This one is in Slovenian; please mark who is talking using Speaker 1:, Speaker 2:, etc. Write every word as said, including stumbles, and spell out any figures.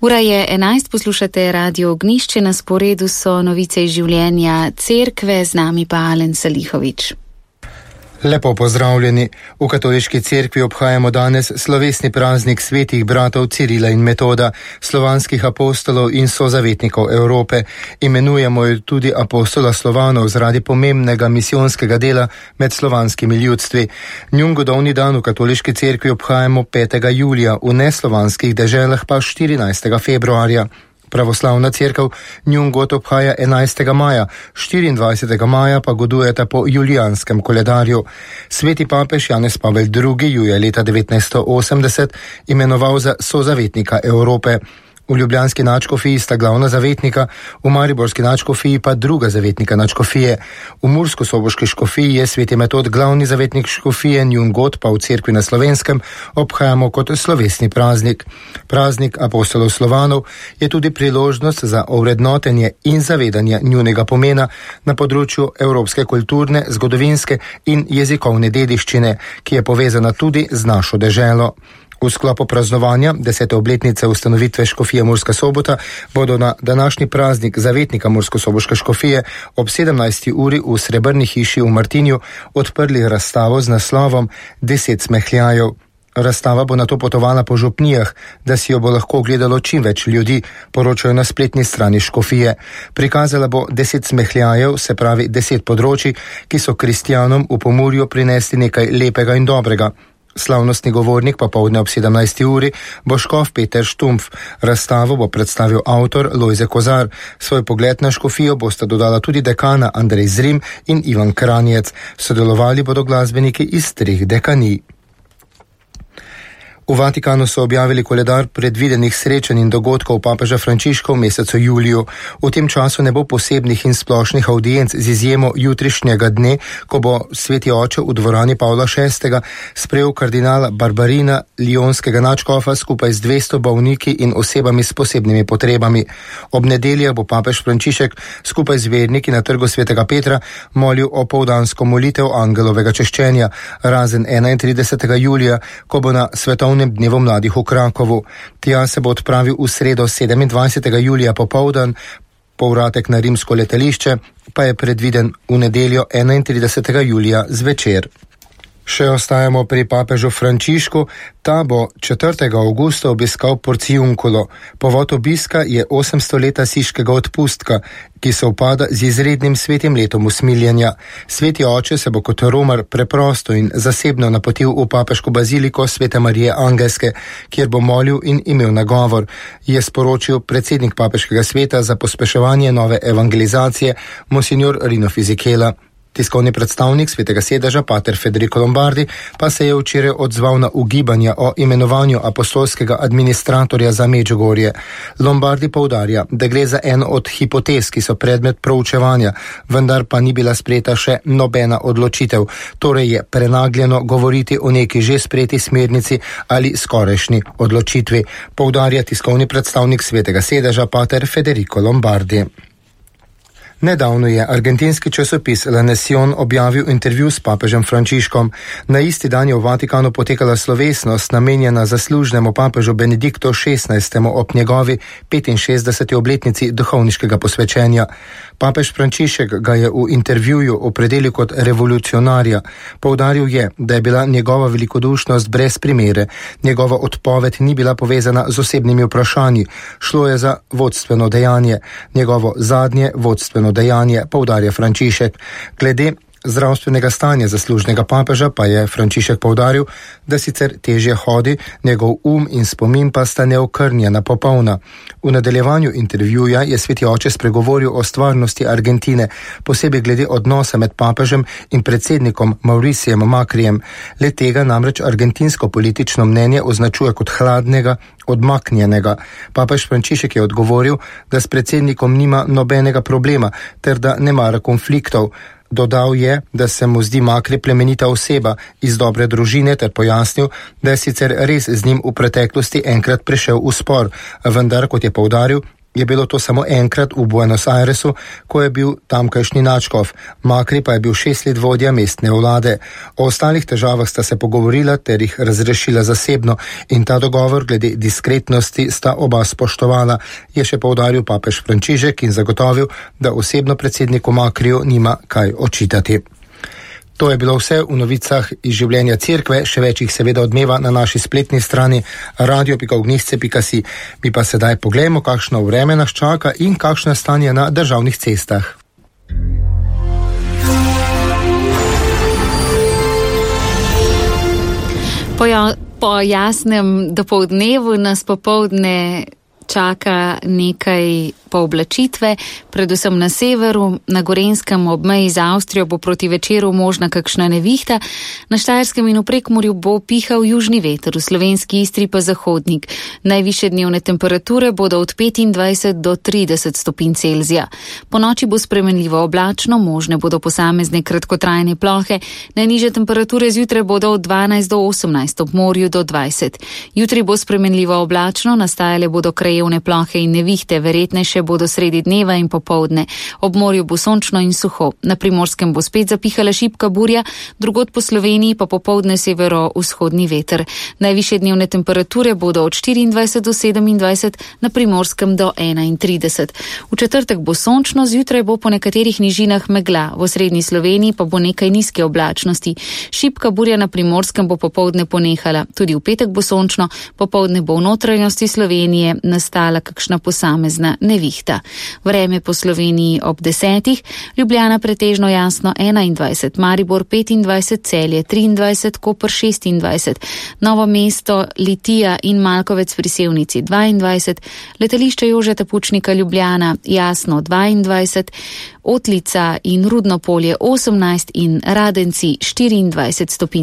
Speaker 1: Ura je enajst, poslušate Radio Ognjišče, na sporedu so novice iz življenja cerkve, z nami pa Alen Salihovič.
Speaker 2: Lepo pozdravljeni. V katoliški cerkvi obhajamo danes slovesni praznik svetih bratov Cirila in Metoda, slovanskih apostolov in sozavetnikov Evrope. Imenujemo jo tudi apostola Slovanov zaradi pomembnega misijonskega dela med slovanskimi ljudstvi. Njun godovni dan v katoliški cerkvi obhajamo petega julija, v neslovanskih deželah pa štirinajstega februarja. Pravoslavna cerkev njun god obhaja enajstega maja, štiriindvajsetega maja pa godujeta po julijanskem koledarju. Sveti papež Janez Pavel drugi ju je leta devetnajststo osemdeset imenoval za sozavetnika Evrope. V ljubljanski nadškofiji sta glavna zavetnika, v mariborski nadškofiji pa druga zavetnika nadškofije. V mursko-soboški škofiji je sveti Metod glavni zavetnik škofije, njun god pa v cerkvi na Slovenskem obhajamo kot slovesni praznik. Praznik apostolov Slovanov je tudi priložnost za ovrednotenje in zavedanje njunega pomena na področju evropske kulturne, zgodovinske in jezikovne dediščine, ki je povezana tudi z našo deželo. V sklopu praznovanja desete obletnice ustanovitve škofije Murska Sobota bodo na današnji praznik zavetnika Mursko-soboške škofije ob sedemnajsti uri v Srebrni hiši v Martinju odprli razstavo z naslovom Deset smehljajev. Razstava bo nato potovala po župnijah, da si jo bo lahko ogledalo čim več ljudi, poročajo na spletni strani škofije. Prikazala bo deset smehljajev, se pravi deset področij, ki so kristjanom v Pomurju prinesli nekaj lepega in dobrega. Slavnostni govornik popoldne ob sedemnajsti uri bo škof Peter Štumpf. Razstavo bo predstavil avtor Lojze Kozar. Svoj pogled na škofijo bosta dodala tudi dekana Andrej Zrim in Ivan Kranjec. Sodelovali bodo glasbeniki iz treh dekanij. V Vatikanu so objavili koledar predvidenih srečanj in dogodkov papeža Frančiška v mesecu juliju. V tem času ne bo posebnih in splošnih audienc z izjemo jutrišnjega dne, ko bo sveti oče v dvorani Pavla šestega sprejel kardinala Barbarina, lijonskega nadškofa, skupaj z dvesto bolniki in osebami s posebnimi potrebami. Ob nedeljah bo papež Frančišek skupaj z verniki na trgu svetega Petra molil o poldansko molitev angelovega češčenja, razen enaintridesetega julija, ko bo na svetovnem dnevu mladih v Krakovu. Tja se bo odpravil v sredo sedemindvajsetega julija popoldan, povratek na rimsko letališče pa je predviden v nedeljo enaintridesetega julija zvečer. Še ostajamo pri papežu Frančišku. Ta bo četrtega avgusta obiskal Porciunkulo. Povod obiska je osemsto leta siškega odpustka, ki se upada z izrednim svetim letom usmiljenja. Sveti oče se bo kot romar preprosto in zasebno napotil v papeško baziliko Svete Marije Angelske, kjer bo molil in imel nagovor, je sporočil predsednik papeškega sveta za pospeševanje nove evangelizacije monsignor Rino Fisichella. Tiskovni predstavnik svetega sedeža, pater Federico Lombardi, pa se je včeraj odzval na ugibanja o imenovanju apostolskega administratorja za Medžugorje. Lombardi poudarja, da gre za eno od hipotez, ki so predmet proučevanja, vendar pa ni bila sprejeta še nobena odločitev, torej je prenagljeno govoriti o neki že sprejeti smernici ali skorajšnji odločitvi, poudarja tiskovni predstavnik svetega sedeža, pater Federico Lombardi. Nedavno je argentinski časopis La Nación objavil intervju s papežem Frančiškom. Na isti dan je v Vatikanu potekala slovesnost namenjena zaslužnemu papežu Benediktu šestnajstemu ob njegovi petinšestdeseti obletnici duhovniškega posvečenja. Papež Frančišek ga je v intervjuju opredelil kot revolucionarja. Poudaril je, da je bila njegova velikodušnost brez primere. Njegova odpoved ni bila povezana z osebnimi vprašanji. Šlo je za vodstveno dejanje. Njegovo zadnje vodstveno dejanje, poudarja Frančišek. Glede zdravstvenega stanja zaslužnega papeža pa je Frančišek poudaril, da sicer težje hodi, njegov um in spomin pa sta neokrnjena popolna. V nadaljevanju intervjuja je sveti oče spregovoril o stvarnosti Argentine, posebej glede odnosa med papežem in predsednikom Mauricijem Macrijem. Le tega namreč argentinsko politično mnenje označuje kot hladnega, odmaknjenega. Papež Frančišek je odgovoril, da s predsednikom nima nobenega problema ter da ne mara konfliktov. Dodal je, da se mu zdi Macri plemenita oseba iz dobre družine ter pojasnil, da je sicer res z njim v preteklosti enkrat prišel v spor, vendar, kot je poudaril, je bilo to samo enkrat v Buenos Airesu, ko je bil tamkajšnji nadškof. Macri pa je bil šest let vodja mestne vlade. O ostalih težavah sta se pogovorila ter jih razrešila zasebno in ta dogovor glede diskretnosti sta oba spoštovala, je še poudaril papež Frančišek in zagotovil, da osebno predsedniku Macriju nima kaj očitati. To je bilo vse v novicah iz življenja cerkve, še več jih seveda odmeva na naši spletni strani radio pika ognjišče pika si. Mi pa sedaj poglejmo, kakšno vreme nas čaka in kakšno je stanje na državnih cestah.
Speaker 1: Po, ja, po jasnem dopoldnevu nas popoldne čaka nekaj pooblačitve, predvsem na severu, na Gorenjskem ob meji z Avstrijo bo proti večeru možna kakšna nevihta, na Štajerskem in v Prekmurju bo pihal južni veter, v slovenski Istri pa zahodnik. Najvišje dnevne temperature bodo od petindvajset do trideset stopinj Celzija. Po noči bo spremenljivo oblačno, možne bodo posamezne kratkotrajne plohe, najnižje temperature zjutraj bodo od dvanajst do osemnajst, ob morju do dvajset. Jutri bo spremenljivo oblačno, nastajale bodo krajevne plohe in nevihte, verjetnejše bodo sredi dneva in popoldne. Ob morju bo sončno in suho. Na Primorskem bo spet zapihala šibka burja, drugod po Sloveniji pa popoldne severo-vzhodni veter. Najvišje dnevne temperature bodo od štiriindvajset do sedemindvajset, na Primorskem do enaintrideset. V četrtek bo sončno, zjutraj bo po nekaterih nižinah megla, v osrednji Sloveniji pa bo nekaj nizke oblačnosti. Šibka burja na Primorskem bo popoldne ponehala. Tudi v petek bo sončno, popoldne bo v notranjosti Slovenije nastala kakšna posamezna nevihta. Vreme po Sloveniji ob desetih, Ljubljana pretežno jasno enaindvajset, Maribor petindvajset, Celje triindvajset, Koper šestindvajset, Novo mesto, Litija in Malkovec pri Sevnici dvaindvajset, letališče Jožeta Pučnika Ljubljana jasno dvaindvajset, Otlica in Rudno polje osemnajst in Radenci štiriindvajset stopinj